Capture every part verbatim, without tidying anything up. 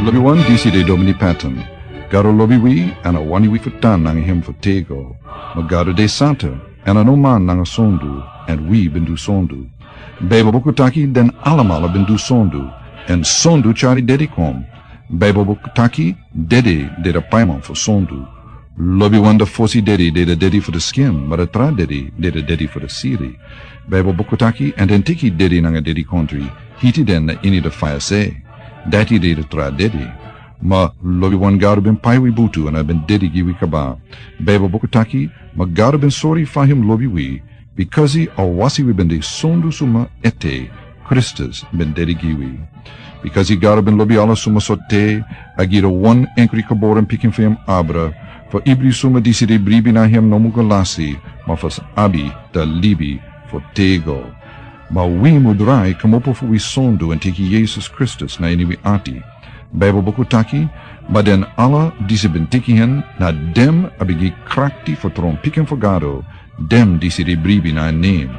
Lobi wan, disi de Domini Patton. Gado lobi wi, èn a wani wi fu tan nanga hem fu tego. Ma Gado de santa, èn a no man nanga sondu, èn wi ben du sondu. Baibel buku taki den alamala ben du sondu, èn sondu tyari dedi kon. Baibel buku taki dedi de da paiman fu sondu. Lobi wan da fosi dedi de da dedi fu da skin, ma da tra dedi de da dedi fu da siri. Baibel buku taki, èn den teki dedi nanga dedi kontri, hiti den na ini da faya se. Dati de da tra dedi. Ma lobi wan Gado ben pai wi butu èn a ben dedi gi wi kaba. Baibel buku taki, ma Gado ben sori fa hem lobi wi, bikasi a wasi wi ben de sondu suma ete, Kristus ben dedi gi wi. Bikasi Gado ben lobi ala suma so te, a gi da wan enkri geboren pikin fu hem abra, fu ibri suma disi de bribi na hem no mu go lasi, ma fu sa abi da libi fu tego. Ma wi mu drai kmopo fu wi sondu èn teki Yesus Kristus na ini wi ati. Baibel buku taki, ma den ala disi ben teki hen, na den a ben gi krakti fu tron pikin fu Gado, den disi de bribi na en nen.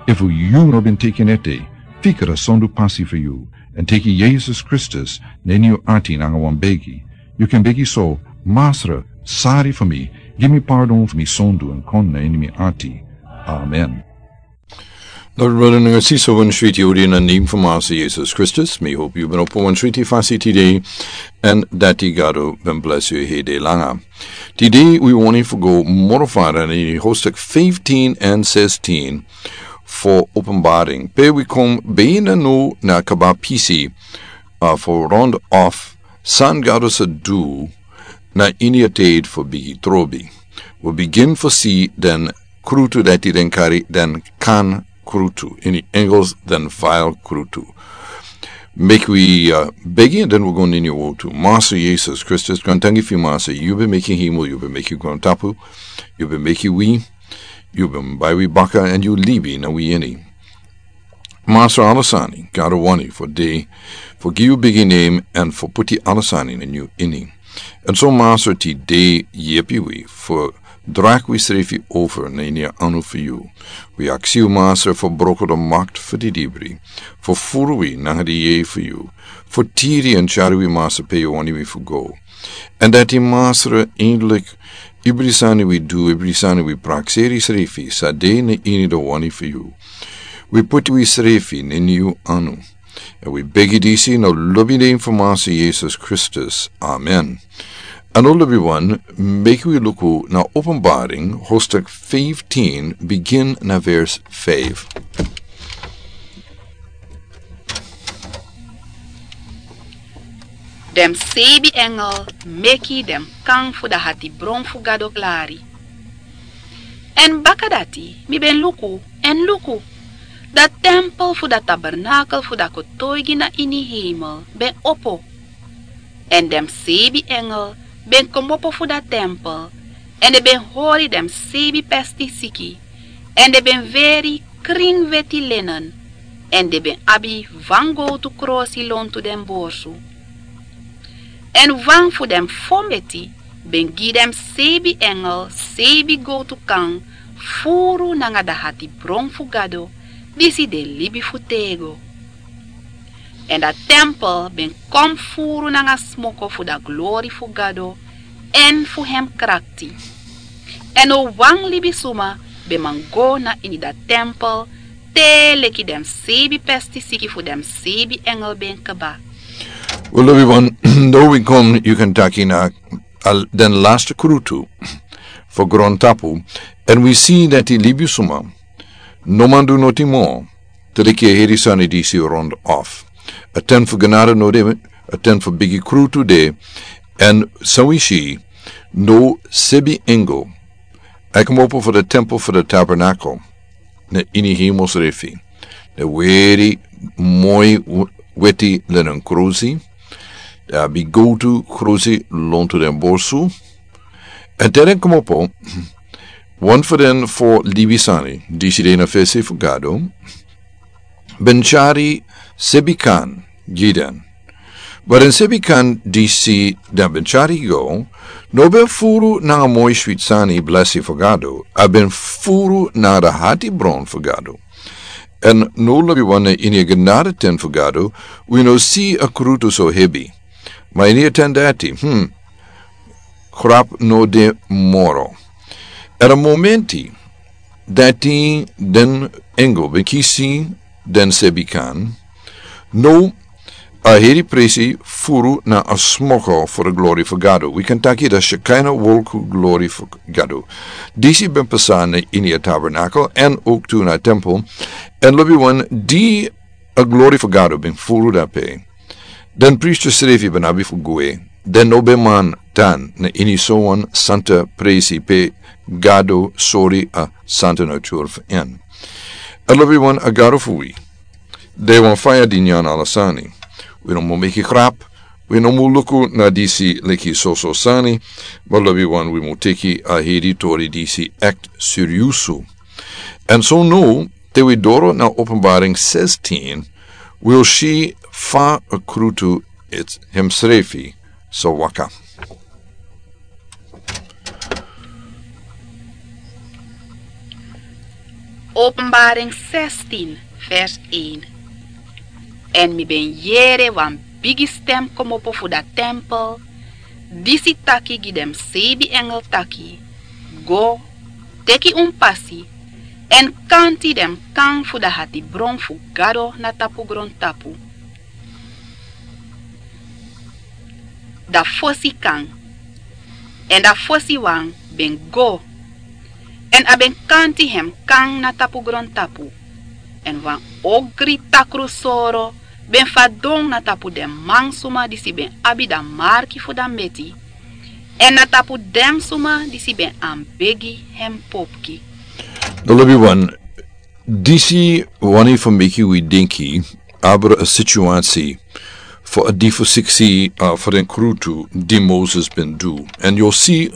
Efu yu no ben teki en ete, fika da sondu pasi fu yu, èn teki Yesus Kristus na ini yu ati nanga wan begi. Yu kan begi so, Masra, sari fu mi, gi mi pardon fu mi sondu èn kon na ini mi ati. Amen. Dati brada nanga sisa, wan switi odi na nen fu Masra Yesus Kristus. Mi hopi yu ben opo wan switi fasi tide, èn dati Gado ben blesi yu heri langa. Tide wi wani fu go moro fara na ini hoofdstuk fifteen èn sixteen fu Openbaring. Pe wi kon bina no na kaba pisi, a, fu rond of san Gado sa du na ini a tide fu bigi trobi. Wi bigin fu si den krutu dati den kari den kan krutu. Ini Engels den vial krutu. Meki wi, a, begi, den wi go na ini wotu. Masra Yesus Kristus, grantangi fu yu Masra, yu ben meki hemel, yu ben meki grontapu, yu ben meki wi, yu ben bai wi baka, èn yu libi na wi ini. Masra, ala sani Gado wani fu de, fu gi yu bigi nen, èn fu puti ala sani na yu ini. Èn so Masra, tide yepi wi fu dragi wisrefi over na ini a anu fu yu. Wi aksi yu Masra fu broko da makti fu di dibri, fu furu wi nanga di yeye fu yu, fu tiri èn tyari wi Masra pe yu wani wi fu go. Èn dati Masra, eindelijk, ibri sani wi du, ibri sani wi prakseri srefi sa de na ini da wani fu yu. Wi puti wisrefi na ini yu anu. Èn wi begi disi na lobi nen fu Masra Yesus Kristus. Amen. Èn o lobi wan, meki wi luku na Openbaring, hoofdstuk fifteen, bigin na vers five. Den seibi engel meki den kan fu da hatibron fu Gado klari. Èn baka dati mi ben luku, èn luku, da tempel fu da tabernakel fu da kotoigi na ini hemel ben opo. Èn den seibi engel ben kmopo fu da tempel, èn den ben hori den seibi pesti siki, èn den ben weri krin weti lenen, èn den ben abi wan gowtu krosi lontu den borsu. Èn wan fu den fo meti ben gi den seibi engel seibi gowtu kan furu nanga da hatibron fu Gado, disi de libi fu tego. Èn da tempel ben kon furu nanga smoko fu da glori fu Gado èn fu hem krakti. Èn no wan libisuma ben man go na ini da tempel, te leki den seibi pesti siki fu den seibi engel ben kba. Wi lobi wan, now wi kon, yu kan taki na al den laste krutu fu grontapu, èn wi si dati libisuma no man du noti mo, te leki a heri sani disi rond of. A ten fu genade no de, a ten fu bigi krutu de, èn san wi si, now seibi engel a kmopo fu da tempel fu da tabernakel na ini hemel srefi. Den weri moi w-, weti lenen krosi, den abi gowtu krosi lontu den borsu. Èn te den kmopo, wan fu den fo libi sani disi de na fesi fu Gado ben tyari seibi kan gi den. Ma den seibi kan disi den ben tyari go no ben furu nanga moi switi sani, blesi fu Gado, a ben furu nanga da hatibron fu Gado. Èn now lobi wan, na ini a genade ten fu Gado wi no si a krutu so hebi. Ma ini a ten dati, hmm, grap no de moro. Era momenti dati den engel ben kisi den sebikan. No, a heri presi furu na a smoko for a glori for Gado. We kan taki da Shekinah wolku glori for Gado. Disi ben pasana ini a tabernacle en ook tu na tempel. En lobi wan di a glori for Gado ben furu dape. Den priester srefi ben abi fu gwe. Den no ben man tan na ini so wan santa presi pe Gado sori a santa natur fu en. A lobi wan a Gado fu wi. De wan faya di nyan ala sani. Wi no mu meki grap. Wi no mu luku na disi leki soso sani. Ma lobi wan wi mu teki a heri tori disi act seriusu. En so no, te wi doro na Openbaring sixteen, wi o si fa a krutu its hemsrefi so waka. Openbaring sixteen, vers één. En mi ben yere wan bigi stem komopo fu da tempel, disi taki gi den seibi engel taki: Go, teki un pasi, en kanti den kan fu da hatibron fu Gado na tapu grontapu. Da fosi kan, en da fosi wan ben go, en a ben kanti hem kan na tapu grontapu. En wan ogri takru soro ben fadon na tapu den mansuma disi ben abi da marki fu da meti, en na tapu den suma disi ben anbegi hem popki. No lobi wan, disi wani fu meki wi denki abra a situasi fu a di fu siksi, uh, fu den krutu di Moses ben du. En yu o si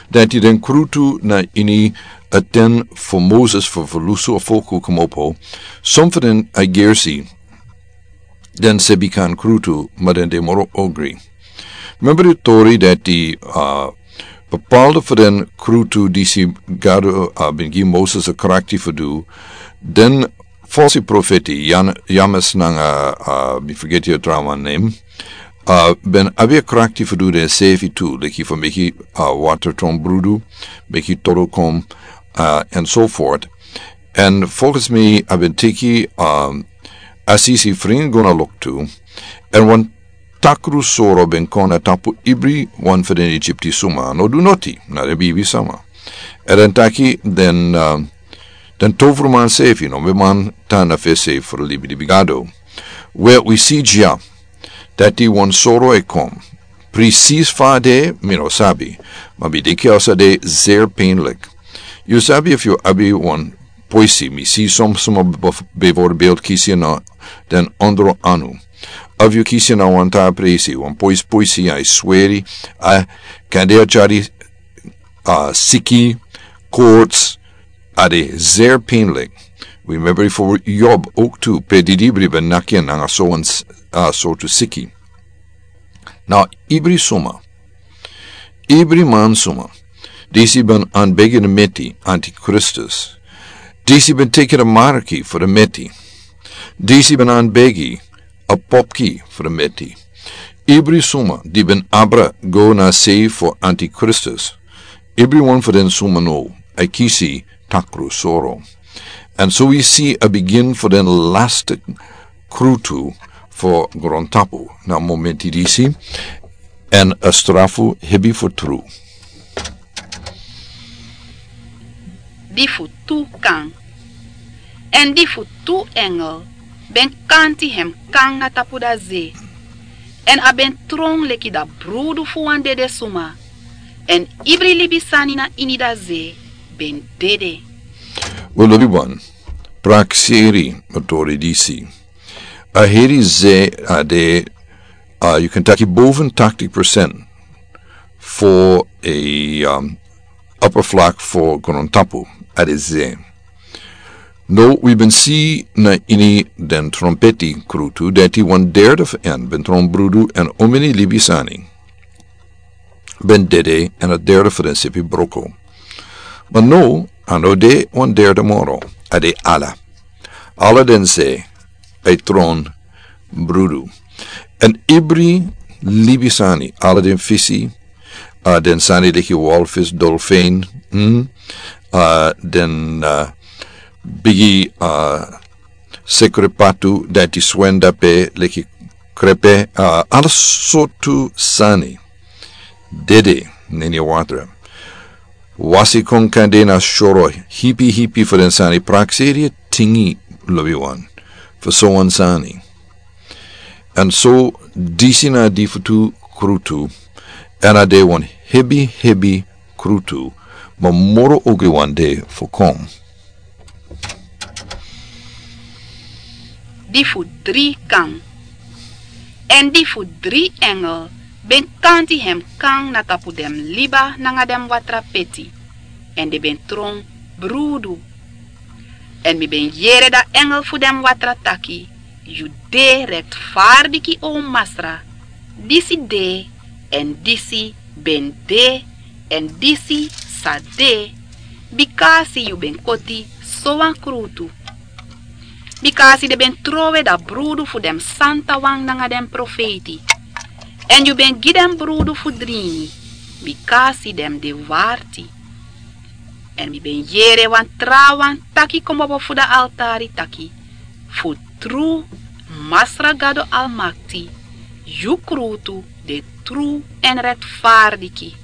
dati den krutu na ini a ten fu Moses fu fu lusu a folku komopo, son fu den a gersi den sebikan krutu, ma den de moro ogri. Member di tori dati, uh, bepaalde fu den krutu disi Gado, uh, ben gi Moses a krakti fu du, den falsi profeti, Jan-, James nanga, uh, mi forgeti a trawan name, uh, ben abi a krakti fu du den sefi tu, leki fu meki, uh, water tron brudu, meki toro kon, uh, en so forth. En volgens mi a ben teki, um, a sisi fringi go na loktu, en wan takru soro ben kon na tapu ibri wan fu den Egypti suma, no du noti, na den bibi sama. En den taki den, um, den tovruman sefi no ben man tan na fesi fu libi libi Gado. We wi si dya, dati wan soro e kon. Precies fa a de, mi no sabi. Ma mi denki a sa de zeer pijnlijk. Yu sabi efu yu abi wan poisi, mi si son suma bef-, bijvoorbeeld kisi na den ondro anu. Of yu kisi na wan tra presi, wan poisi poisi, a e sweri, a kan de a tyari, a siki, koorts, a de zeer pijnlijk. Wi member fu Job ook tu, pe didibri ben naki en nanga so wan s-, a sortu siki. Na ibri suma, ibri man suma, disi ben anbegi na meti, antikristus. Disi ben teki na marki fu na meti. Disi ben anbegi a popki fu na meti. Ibri suma di ben abra go na sei fu antikristus. Ibri wan fu den suma no, a kisi takru soro. En so wi si a begin fu den lasti krutu fu grontapu na momenti disi, en a strafu hebi fu tru. Di fu tu kan. En di fu tu engel ben kanti hem kan na tapu da ze. En a ben tron leki da brudu fu wan dede suma. En ibri libisani na ini da ze ben dede. We lobi wan, prakseri a tori disi. A heri ze a de, uh, yu kan taki boven tachtig procent fu a, um, oppervlak fu grontapu, a de ze. No, wi ben si na ini den trompeti krutu, dati wan derde fu en ben tron brudu en omeni libisani ben dede en a derde fu den sipi broko. Ma no, a no de wan derde moro, a de ala. Ala den ze, a e tron brudu. En ibri libi sani, ala den fisi, a den sani leki walfis, dolfein, mm, a den a bigi a sekrepatu dati swenda pe leki krepe, a ala sortu sani dede neni a watra. Wasi kon kande na soro hipi hipi fu den sani, prakseri a tingi lobi wan fu so wan sani. An so disi na di fu tu krutu, an a de wan hebi hebi krutu, ma moro ogri wan de fu kon. Di fu dri kan. Èn di fu dri engel ben kanti hem kan na tapu den liba nanga den watra peti, èn den ben tron brudu. Èn mi ben yere da engel fu den watra taki: Yu de rektfardiki, o Masra, disi de, èn disi ben de, èn disi sa de, bikasi yu ben koti so wan krutu. Bikasi den ben trowe da brudu fu den santawan nanga den profeiti, èn yu ben gi den brudu fu dringi, bikasi den de warti. Èn mi ben yere wan trawan taki kmopo fu da altari taki: Fu tru, Masra Gado Almakti, yu krutu de tru èn rektfardiki.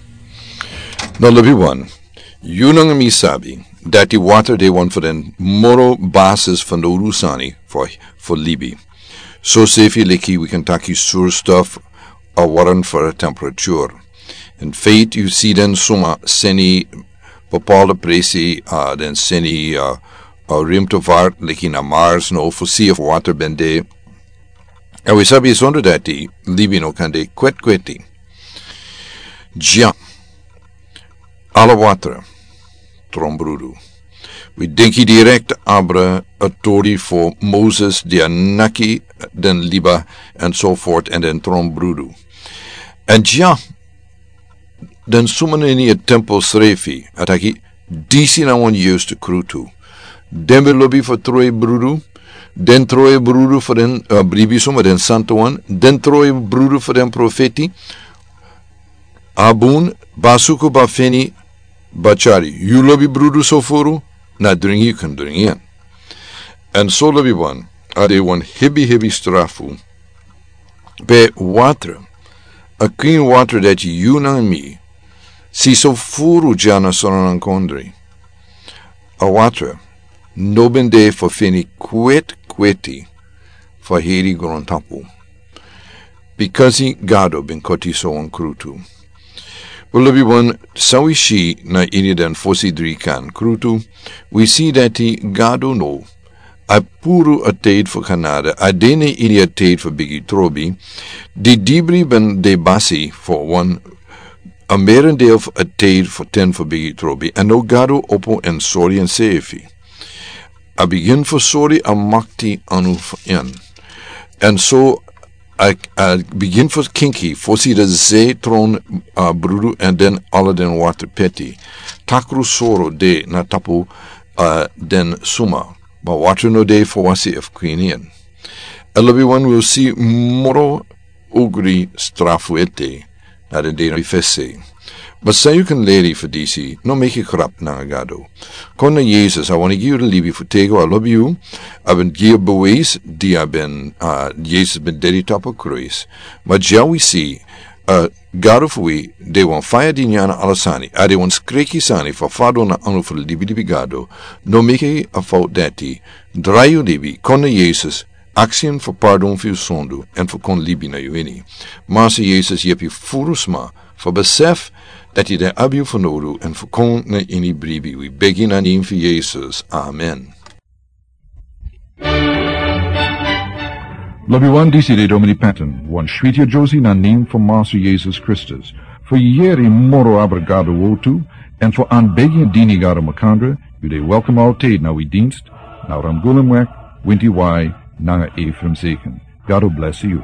Na lobi wan, yu nanga mi sabi dati watra de wan fu den moro basis fanowdu sani fu, fu libi. So sefi leki wi kan taki surstof, a warm fu a temperature. In feite yu si den suma seni bepaalde presi, a den seni a, a ruimtevaart leki na Mars no fu si efu watra ben de. Èn wi sabi sondro dati libi no kan de kwetkweti. Dya, ala watra tron brudu. Wi denki direkt abra a tori fu Moses di a naki den liba, èn so fort, èn den tron brudu. Èn dya, den suma neni a tempo srefi a taki: Disi na wan yustu krutu. Den ben lobi fu trowe brudu. Den trowe brudu fu den, a, bribi suma, den santawan. Den trowe brudu fu den profeti. A bun, ba suku, ba feni, ba tyari. Yu lobi brudu so furu, na dringi yu kan dringi en. Èn so lobi wan, a de wan hebi hebi strafu. Pe watra, a clean watra dati yu nanga mi si so furu dya na Sranan Kondre. A watra no ben de fu feni kwetkweti fu heri grontapu. Bikasi Gado ben koti so wan krutu. Wel, lobi wan, san wi si na ini den fosi dri kan krutu, wi si dati Gado no a puru a tide fu Kanada, a de na ini a tide fu bigi trobi. Di dibri ben de basi fu wan, a merendeel fu a tide fu ten fu bigi trobi, èn now Gado opo èn sori ensefi. A bigin fu sori a makti anu fu en. Èn so a, a bigin fu kinki fosi den se tron, a, brudu èn den ala den watra peti. Takru soro de na tapu, a, den suma. Ma watra no de fu wasi efu kwini en. Èn lobi wan, wi o si moro ogri strafu ete na den dei na wi fesi. Ma san yu kan leri fu disi, no meki grap nanga Gado. Kon na Yesus, a wani gi yu den libi fu têgo a lobi yu. A ben gi yu bewijs di a ben, a, Yesus ben dedi tapu kruis. Ma dya wi si, a, Gado fu wi de wan faya di nyan na ala sani, a de wan skriki sani fu fadon na anu fu den libilibi Gado. No meki a fout dati. Drai yu libi, kon na Yesus, aksi en fu pardon fu yu sondu èn fu kon libi na yu ini. Masa Yesus, yepi furu sma fu besef dati den abi yu fanowdu èn fu kon na ini bribi. Wi begi na nen fu Yesus. Amen. Lobi wan, disi de Domini Patton, wan switi a Josi na nen fu Masa Yesus Kristus. Fu yeri moro abra Gado wortu, èn fu anbegi dini Gado makandra, yu de welkom altid na wi dinst, na Ramgulumwek, Winti Wai, nanga Ephraim Zeken. Gado blesi yu.